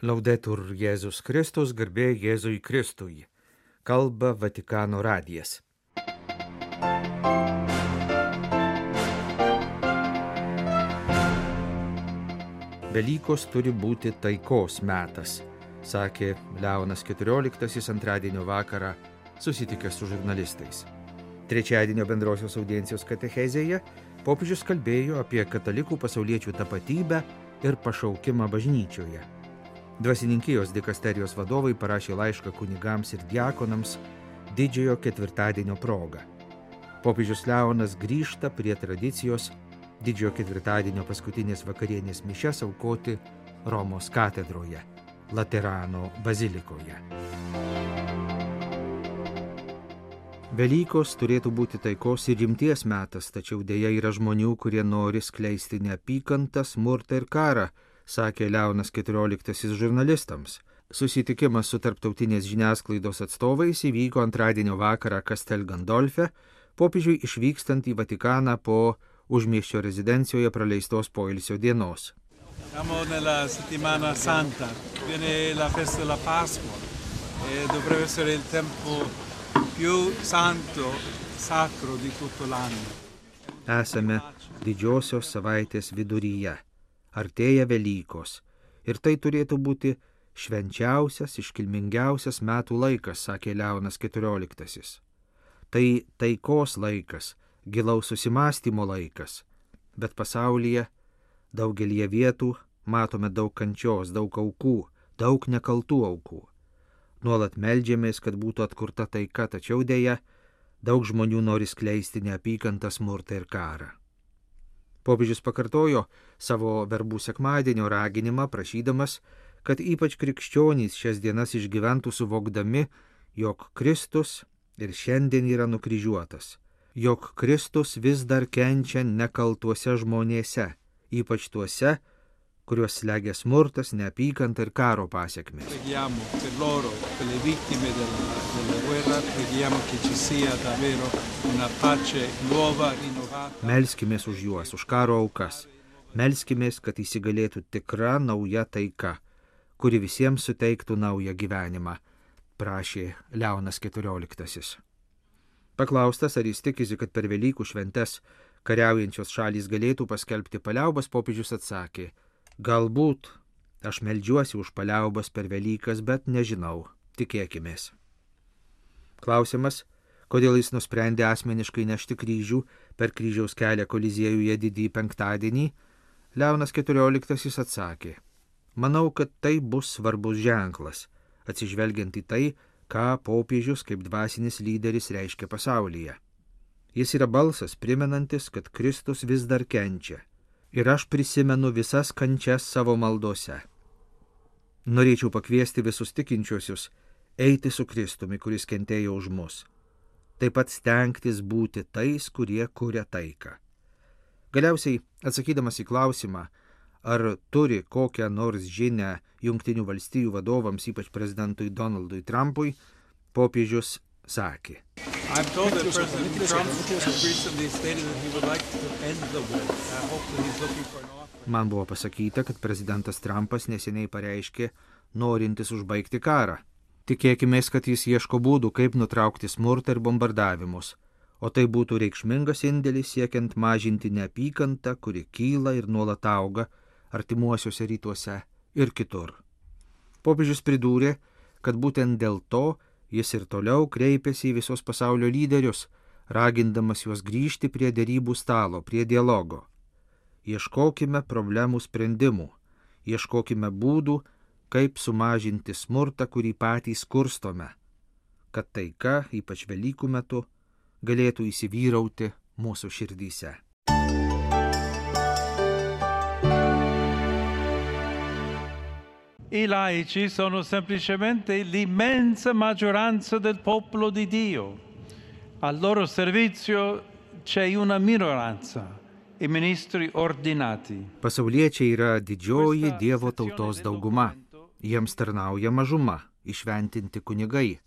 Laudetur Jėzus Kristus, garbė Jėzui Kristui. Kalba Vatikano radijas. Velykos turi būti taikos metas, sakė Leonas XIV antradienio vakarą susitikęs su žurnalistais. Trečiadienio bendrosios audiencijos katechezėje popiežius kalbėjo apie katalikų pasauliečių tapatybę ir pašaukimą bažnyčioje. Dvasininkijos dikasterijos vadovai parašė laišką kunigams ir diakonams didžiojo ketvirtadienio proga. Popiežius Leonas grįžta prie tradicijos didžiojo ketvirtadienio paskutinės vakarienės mišias aukoti Romos katedroje, Laterano bazilikoje. Velykos turėtų būti taikos ir rimties metas, tačiau dėja yra žmonių, kurie nori skleisti neapykantą, smurtą ir karą, sakė Leonas XIV žurnalistams. Susitikimas su tarptautinės žiniasklaidos atstovais įvyko antradienio vakarą Castel Gandolfe, popiežiui išvykstant į Vatikaną po užmiesčio rezidencijoje praleistos poilsio dienos. Siamo nella settimana santa, viene la festa della Pasqua e dovrebbe essere il tempo più santo, sacro di tutto l'anno. Esame didžiosios savaitės viduryje. Artėja Velykos ir tai turėtų būti švenčiausias, iškilmingiausias metų laikas, sakė Leonas XIV. Tai taikos laikas, gilaus susimąstymo laikas, bet pasaulyje daugelie vietų matome daug kančios, daug aukų, daug nekaltų aukų. Nuolat meldžiamės, kad būtų atkurta taika, tačiau dėja daug žmonių nori skleisti neapykantą, smurtą ir karą. Popiežius pakartojo savo verbų sekmadienio raginimą, prašydamas, kad ypač krikščionys šias dienas išgyventų suvokdami, jog Kristus ir šiandien yra nukryžiuotas, jog Kristus vis dar kenčia nekaltuose žmonėse, ypač tuose, kuriuos slegia smurtas, neapykanta ir karo pasekmės. Preghiamo per loro, per le vittime della guerra, preghiamo che ci sia davvero una pace nuova, rinnovata. Melskimės už juos, už karo aukas. Melskimės, kad įsigalėtų tikra nauja taika, kuri visiems suteiktų naują gyvenimą, prašė Leonas XIV. Paklaustas, ar jis tikisi, kad per Velykų šventes kariaujančios šalys galėtų paskelbti paliaubas, popiežius atsakė: galbūt aš meldžiuosi už paliaubas per Velykas, bet nežinau, tikėkimės. Klausimas, kodėl jis nusprendė asmeniškai nešti kryžių per kryžiaus kelią Koliziejuje didįjį penktadienį, Leonas XIV atsakė: manau, kad tai bus svarbus ženklas, atsižvelgiant į tai, ką popiežius kaip dvasinis lyderis reiškia pasaulyje. Jis yra balsas primenantis, kad Kristus vis dar kenčia. Ir aš prisimenu visas kančias savo maldose. Norėčiau pakviesti visus tikinčiuosius eiti su Kristumi, kuris kentėjo už mus. Taip pat stengtis būti tais, kurie kuria taiką. Galiausiai, atsakydamas į klausimą, ar turi kokią nors žinią Jungtinių valstijų vadovams, ypač prezidentui Donaldui Trumpui, popiežius sakė: I'm told that President Trump recently stated that he would like to end the war. I hope that he's looking for an offer. Man buvo pasakyta, kad prezidentas Trumpas neseniai pareiškė, norintis užbaigti karą. Tikėkimės, kad jis ieško būdų, kaip nutraukti smurtą ir bombardavimus, o tai būtų reikšmingas indėlis siekiant mažinti neapykantą, kuri kyla ir nuolat auga artimuosiuose rytuose ir kitur. Popiežius pridūrė, kad būtent dėl to jis ir toliau kreipėsi į visos pasaulio lyderius, ragindamas juos grįžti prie derybų stalo, prie dialogo. Ieškokime problemų sprendimų, ieškokime būdų, kaip sumažinti smurtą, kurį patys kurstome, kad taika, ypač Velykų metu, galėtų įsivyrauti mūsų širdyse. I laici sono semplicemente l'immensa maggioranza del popolo di Dio. Al loro servizio c'è una minoranza, i ministri ordinati. Pasauliečiai yra didžioji Dievo tautos dauguma. Jiems tarnauja mažuma, įšventinti kunigai.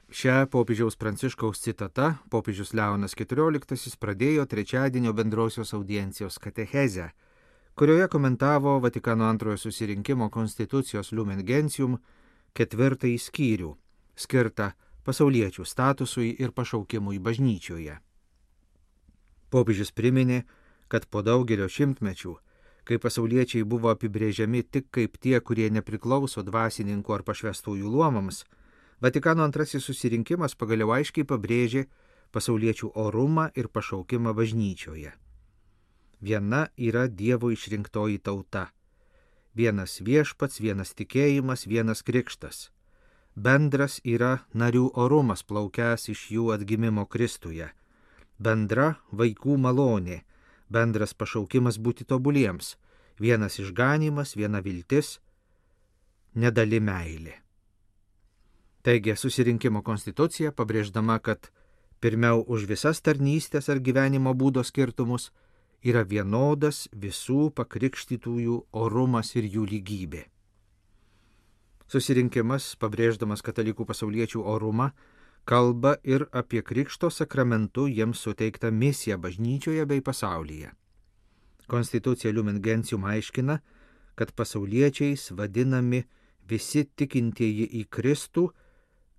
Šią popiežiaus Pranciškaus citata popiežius Leonas XIV pradėjo trečiadienio bendrosios audiencijos katechezę, kurioje komentavo Vatikano antrojo susirinkimo Constitucijos Lumen Gentium 4 skyrių, skirtą pasauliečių statusui ir pašaukimui bažnyčioje. Popiežius priminė, kad po daugelio šimtmečių, kai pasauliečiai buvo apibrėžiami tik kaip tie, kurie nepriklauso dvasininkų ar pašvestųjų luomams, Vatikano antrasis susirinkimas pagaliau aiškiai pabrėžė pasauliečių orumą ir pašaukimą bažnyčioje. Viena yra Dievo išrinktoji tauta. Vienas viešpats, vienas tikėjimas, vienas krikštas. Bendras yra narių orumas plaukęs iš jų atgimimo Kristuje. Bendra vaikų malonė, bendras pašaukimas būti tobuliems, vienas išganymas, viena viltis, nedali meilė. Taigi susirinkimo konstitucija, pabrėždama, kad pirmiau už visas tarnystės ar gyvenimo būdo skirtumus yra vienodas visų pakrikštytųjų orumas ir jų lygybė. Susirinkimas, pabrėždamas katalikų pasauliečių orumą, kalba ir apie krikšto sakramentu jiems suteiktą misiją bažnyčioje bei pasaulyje. Konstitucija Lumen Gentium aiškina, kad pasauliečiais vadinami visi tikintieji į Kristų,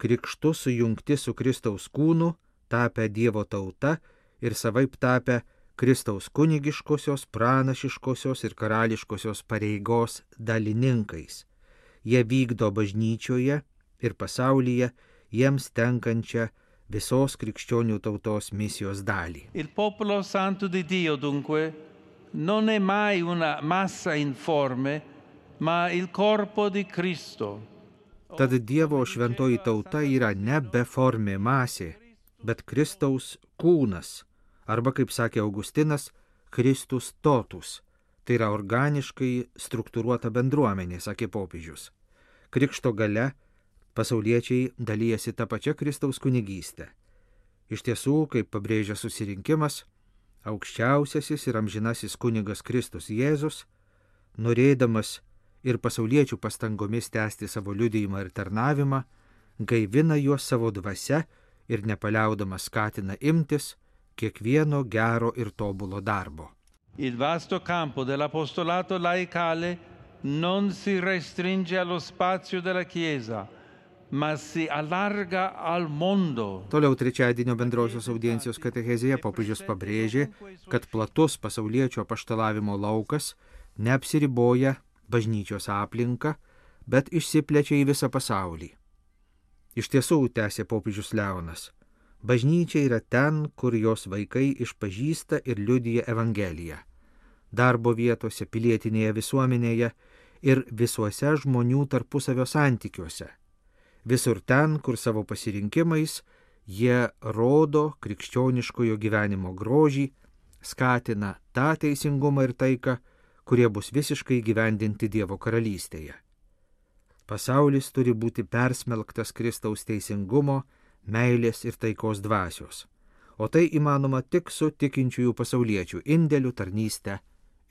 krikštu sujungti su Kristaus kūnu, tapę Dievo tauta ir savaip tapę Kristaus kunigiškosios, pranašiškosios ir karališkosios pareigos dalininkais. Jie vykdo bažnyčioje ir pasaulyje jiems tenkančią visos krikščionių tautos misijos dalį. Il popolo santo di Dio, dunque, non è mai una massa informe, ma il corpo di Cristo. Tad Dievo šventoji tauta yra ne beformė masė, bet Kristaus kūnas, arba, kaip sakė Augustinas, Kristus totus, tai yra organiškai struktūruota bendruomenė, sakė popiežius. Krikšto gale pasauliečiai dalyjasi tą pačią Kristaus kunigystę. Iš tiesų, kaip pabrėžia susirinkimas, aukščiausiasis ir amžinasis kunigas Kristus Jėzus, norėdamas ir pasauliečių pastangomis tęsti savo liudijimą ir tarnavimą, gaivina juos savo dvasia ir nepaliaudamas skatina imtis kiekvieno gero ir tobulo darbo. Il vasto campo dell'apostolato laicale non si restringe allo spazio della Chiesa, ma si allarga al mondo. Toliau trečiadienio bendrosios audiencijos katechezėje popiežius pabrėžė, kad platus pasauliečio apaštalavimo laukas neapsiriboja bažnyčios aplinka, bet išsiplečia į visą pasaulį. Iš tiesų, tęsė popiežius Leonas, bažnyčia yra ten, kur jos vaikai išpažįsta ir liudija Evangeliją. Darbo vietose, pilietinėje visuomenėje ir visuose žmonių tarpusavio santykiuose. Visur ten, kur savo pasirinkimais jie rodo krikščioniškojo gyvenimo grožį, skatina tą teisingumą ir taiką, kurie bus visiškai gyvendinti Dievo karalystėje. Pasaulis turi būti persmelktas Kristaus teisingumo, meilės ir taikos dvasios, o tai įmanoma tik su tikinčiųjų pasauliečių indėliu, tarnyste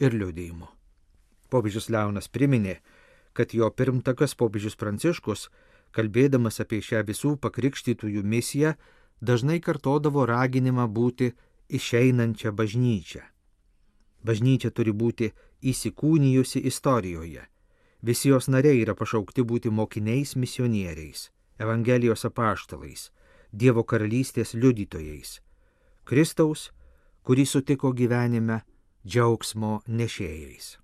ir liudijimu. Popiežius Leonas priminė, kad jo pirmtakas popiežius Pranciškus, kalbėdamas apie šią visų pakrikštytųjų misiją, dažnai kartodavo raginimą būti išeinančią bažnyčią. Bažnyčia turi būti įsikūnijusi istorijoje. Visi jos nariai yra pašaukti būti mokiniais misionieriais, Evangelijos apaštalais, Dievo karalystės liudytojais, Kristaus, kurį sutiko gyvenime, džiaugsmo nešėjais.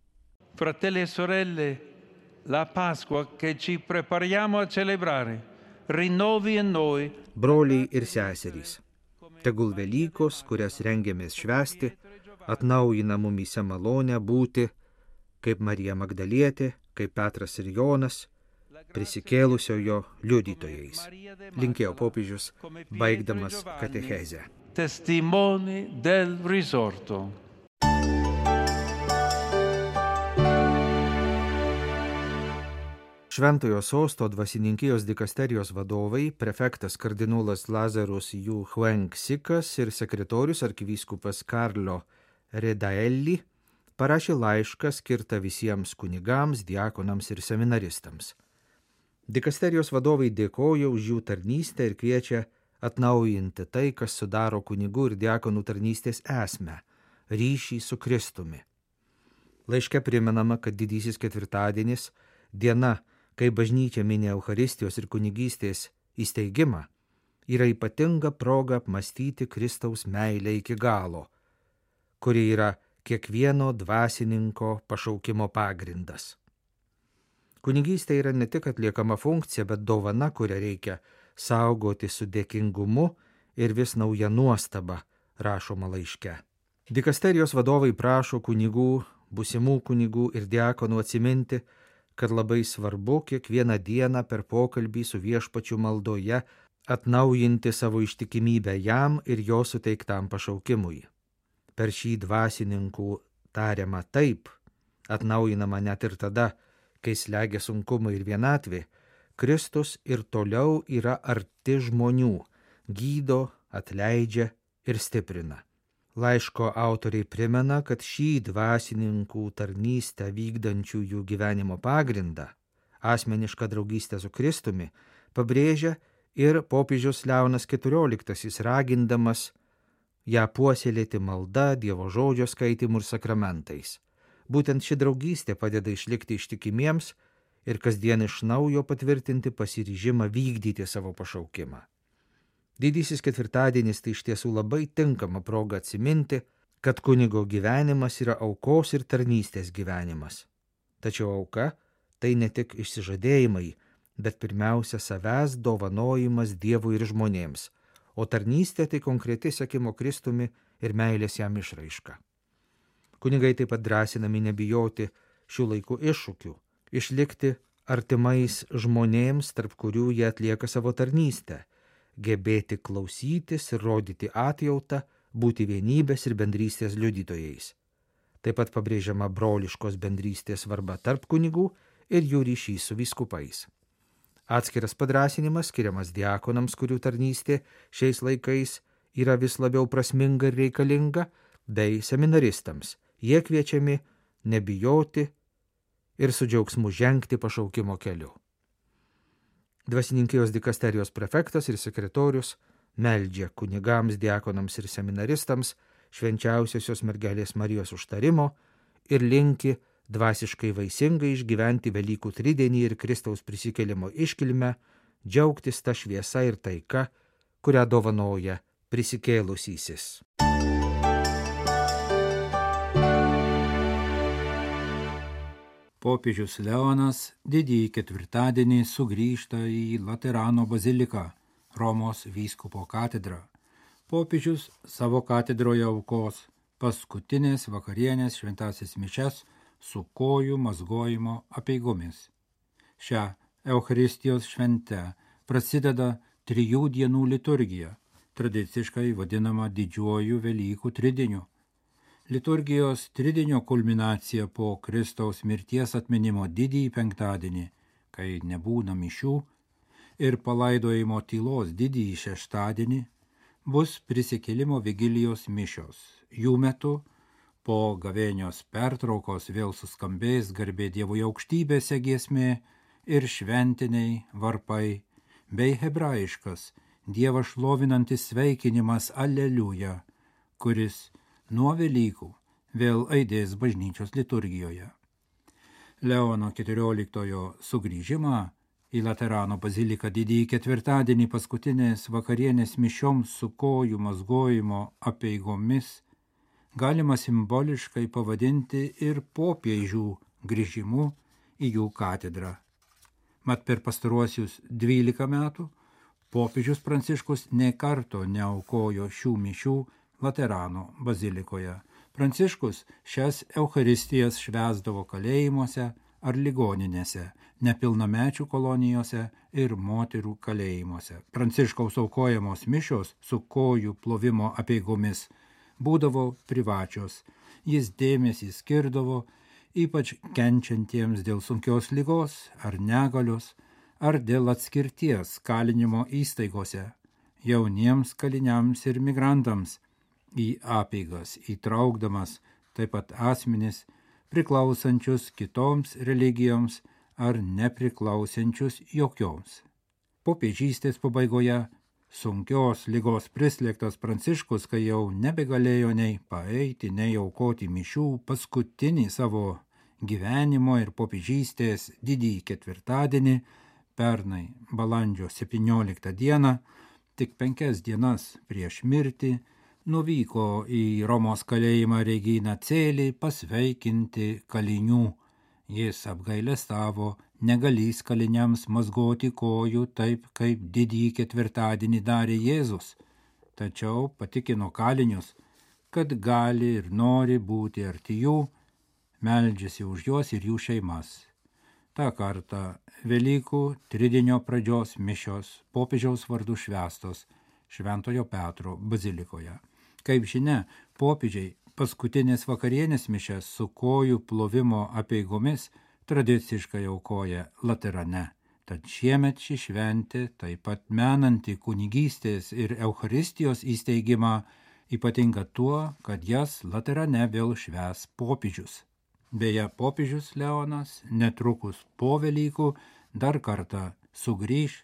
Fratelli e sorelle, la Pasqua che ci prepariamo a celebrare rinnovi in noi. Broliai ir seserys, tegul Velykos, kurias rengiamės švęsti, atnaujina mumyse malonę būti, kaip Marija Magdalietė, kaip Petras ir Jonas, prisikėlusiojo liudytojais, linkėjo popiežius, baigdamas katechezę. Testimoni del risorto. Šventojo sosto dvasininkijos dikasterijos vadovai, prefektas kardinolas Lazarus Yu Huang Sikas ir sekretorius arkivyskupas Karlo Redaelli parašė laišką skirtą visiems kunigams, diakonams ir seminaristams. Dikasterijos vadovai dėkoja už jų tarnystę ir kviečia atnaujinti tai, kas sudaro kunigų ir diakonų tarnystės esmę – ryšį su Kristumi. Laiške primenama, kad didysis ketvirtadienis, diena, kai bažnyčia mini Eucharistijos ir kunigystės įsteigimą, yra ypatinga proga apmąstyti Kristaus meilę iki galo, kuri yra kiekvieno dvasininko pašaukimo pagrindas. Kunigystė yra ne tik atliekama funkcija, bet dovana, kurią reikia saugoti su dėkingumu ir vis nauja nuostaba, rašoma laiške. Dikasterijos vadovai prašo kunigų, būsimų kunigų ir diakonų atsiminti, kad labai svarbu kiekvieną dieną per pokalbį su Viešpačiu maldoje atnaujinti savo ištikimybę jam ir jo suteiktam pašaukimui. Per šį dvasininkų tariamą taip, atnaujinama net ir tada, kai slegia sunkumai ir vienatvė, Kristus ir toliau yra arti žmonių, gydo, atleidžia ir stiprina. Laiško autoriai primena, kad šį dvasininkų tarnystę vykdančiųjų gyvenimo pagrindą, asmenišką draugystę su Kristumi, pabrėžia ir popiežius Leonas XIV, ragindamas ją puoselėti malda, Dievo žodžio skaitimu ir sakramentais. Būtent ši draugystė padeda išlikti ištikimiems ir kasdien iš naujo patvirtinti pasiryžimą vykdyti savo pašaukimą. Didysis ketvirtadienis tai iš tiesų labai tinkama proga atsiminti, kad kunigo gyvenimas yra aukos ir tarnystės gyvenimas. Tačiau auka tai ne tik išsižadėjimai, bet pirmiausia savęs dovanojimas Dievui ir žmonėms, o tarnystė tai konkreti sekimo Kristumi ir meilės jam išraiška. Kunigai taip pat drąsinami nebijoti šių laikų iššūkių, išlikti artimais žmonėms, tarp kurių jie atlieka savo tarnystę, gebėti klausytis ir rodyti atjautą, būti vienybės ir bendrystės liudytojais. Taip pat pabrėžiama broliškos bendrystės svarba tarp kunigų ir jų ryšys su vyskupais. Atskiras padrąsinimas skiriamas diakonams, kurių tarnystė šiais laikais yra vis labiau prasminga ir reikalinga, bei seminaristams. Jie kviečiami nebijoti ir su džiaugsmu žengti pašaukimo keliu. Dvasininkijos dikasterijos prefektas ir sekretorius meldžia kunigams, diakonams ir seminaristams švenčiausiosios mergelės Marijos užtarimo ir linki dvasiškai vaisingai išgyventi Velykų tridienį ir Kristaus prisikėlimo iškilmę, džiaugtis ta šviesa ir taika, kurią dovanoja prisikėlusysis. Popiežius Leonas didįjį ketvirtadienį sugrįžta į Laterano baziliką, Romos vyskupo katedrą. Popiežius savo katedroje aukos paskutinės vakarienės šventąsias mišias su kojų mazgojimo apeigomis. Šią Eucharistijos šventę prasideda 3 dienų liturgija, tradiciškai vadinama didžiuoju Velykų tridieniu. Liturgijos tridienio kulminacija po Kristaus mirties atminimo didįjį penktadienį, kai nebūna mišių, ir palaidojimo tylos didįjį šeštadienį bus prisikėlimo vigilijos mišios. Jų metu po gavėnios pertraukos vėl suskambės garbė Dievui aukštybėse giesmė ir šventiniai varpai, bei hebrajiškas Dievą šlovinantis sveikinimas Aleliuja, kuris nuo Velykų vėl aidės bažnyčios liturgijoje. Leono XIV sugrįžimą į Laterano baziliką didįjį ketvirtadienį paskutinės vakarienės mišioms su kojų mazgojimo apeigomis galima simboliškai pavadinti ir popiežių grįžimu į jų katedrą. Mat per pastaruosius 12 metų popiežius Pranciškus nė karto neaukojo šių mišių Laterano bazilikoje. Pranciškus šias Eucharistijas švęsdavo kalėjimuose ar ligoninėse, nepilnamečių kolonijose ir moterų kalėjimuose. Pranciškaus aukojamos mišios su kojų plovimo apeigomis būdavo privačios. Jis dėmesį skirdavo ypač kenčiantiems dėl sunkios ligos ar negalios, ar dėl atskirties kalinimo įstaigose, jauniems kaliniams ir migrantams, į apeigas įtraukdamas taip pat asmenis priklausančius kitoms religijoms ar nepriklausančius jokioms. Popiežystės pabaigoje sunkios ligos prislėgtas Pranciškus, kai jau nebegalėjo nei paeiti, nei aukoti mišių, paskutinį savo gyvenimo ir popiežystės didįjį ketvirtadienį, pernai balandžio 17 dieną, tik 5 dienas prieš mirtį, nuvyko į Romos kalėjimą Regina Coeli pasveikinti kalinių. Jis apgailestavo, negalys kaliniams mazgoti kojų taip, kaip didįjį ketvirtadienį darė Jėzus, tačiau patikino kalinius, kad gali ir nori būti arti jų, meldžiasi už juos ir jų šeimas. Ta kartą Velykų tridienio pradžios mišios popiežiaus vardu švęstos Šventojo Petro bazilikoje. Kaip žinia, popiežiai paskutinės vakarienės mišias su kojų plovimo apeigomis tradiciškai aukoja Laterane. Tad šiemet ši šventė, taip pat menanti kunigystės ir Eucharistijos įsteigimą, ypatinga tuo, kad jas Laterane vėl švęs popiežius. Beje, popiežius Leonas netrukus po Velykų dar kartą sugrįš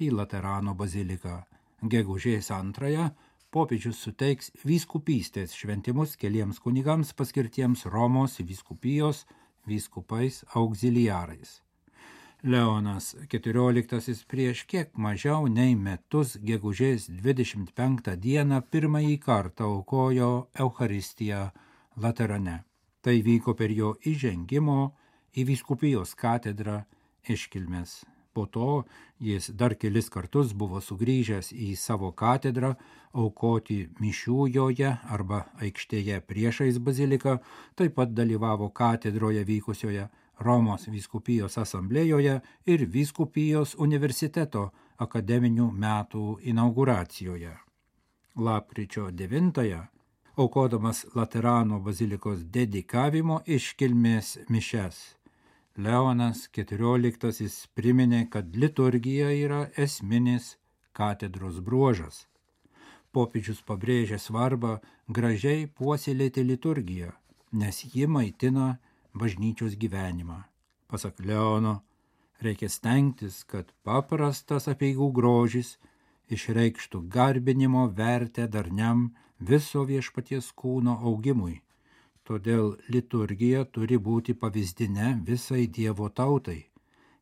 į Laterano baziliką. Gegužės 2 popiežius suteiks vyskupystės šventimus keliems kunigams paskirtiems Romos vyskupijos vyskupais auxiliarais. Leonas XIV prieš kiek mažiau nei metus gegužės 25 dieną pirmąjį kartą aukojo Eucharistiją Laterane. Tai vyko per jo įžengimo į vyskupijos katedrą iškilmes. Po to jis dar kelis kartus buvo sugrįžęs į savo katedrą aukoti mišių joje arba aikštėje priešais baziliką, taip pat dalyvavo katedroje vykusioje Romos vyskupijos asamblėjoje ir vyskupijos universiteto akademinių metų inauguracijoje. Lapkričio 9 aukodamas Laterano bazilikos dedikavimo iškilmės mišias, Leonas XIV priminė, kad liturgija yra esminis katedros bruožas. Popiežius pabrėžė svarbą gražiai puoselėti liturgiją, nes ji maitina bažnyčios gyvenimą. Pasak Leono, reikia stengtis, kad paprastas apeigų grožis išreikštų garbinimo vertę darniam viso viešpaties kūno augimui. Todėl liturgija turi būti pavyzdinė visai Dievo tautai,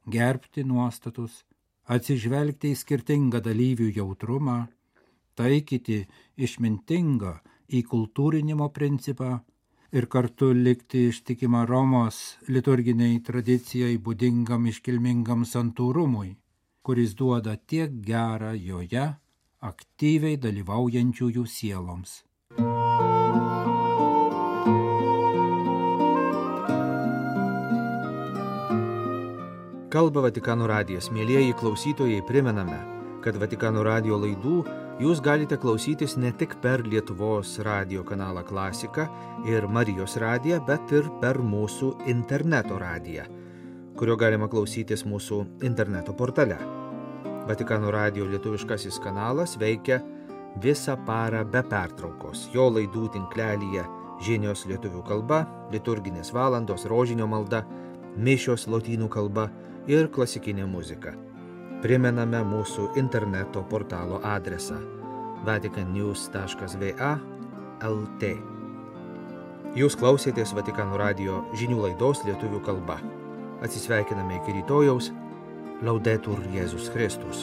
gerbti nuostatus, atsižvelgti į skirtingą dalyvių jautrumą, taikyti išmintingą įkultūrinimo principą ir kartu likti ištikimą Romos liturginiai tradicijai būdingam iškilmingam santūrumui, kuris duoda tiek gerą joje aktyviai dalyvaujančiųjų sieloms. Kalba Vatikano radijas. Mielieji klausytojai, primename, kad Vatikano radijo laidų jūs galite klausytis ne tik per Lietuvos radijo kanalą Klasika ir Marijos radiją, bet ir per mūsų interneto radiją, kurio galima klausytis mūsų interneto portale. Vatikano radijo lietuviškasis kanalas veikia visą parą be pertraukos. Jo laidų tinklelyje žinios lietuvių kalba, liturginės valandos, rožinio malda, mišios lotynų kalba ir klasikinė muzika. Primename mūsų interneto portalo adresą vaticannews.va/lt. Jūs klausėtės Vatikano radijo žinių laidos lietuvių kalba. Atsisveikiname iki rytojaus. Laudetur Jėzus Kristus.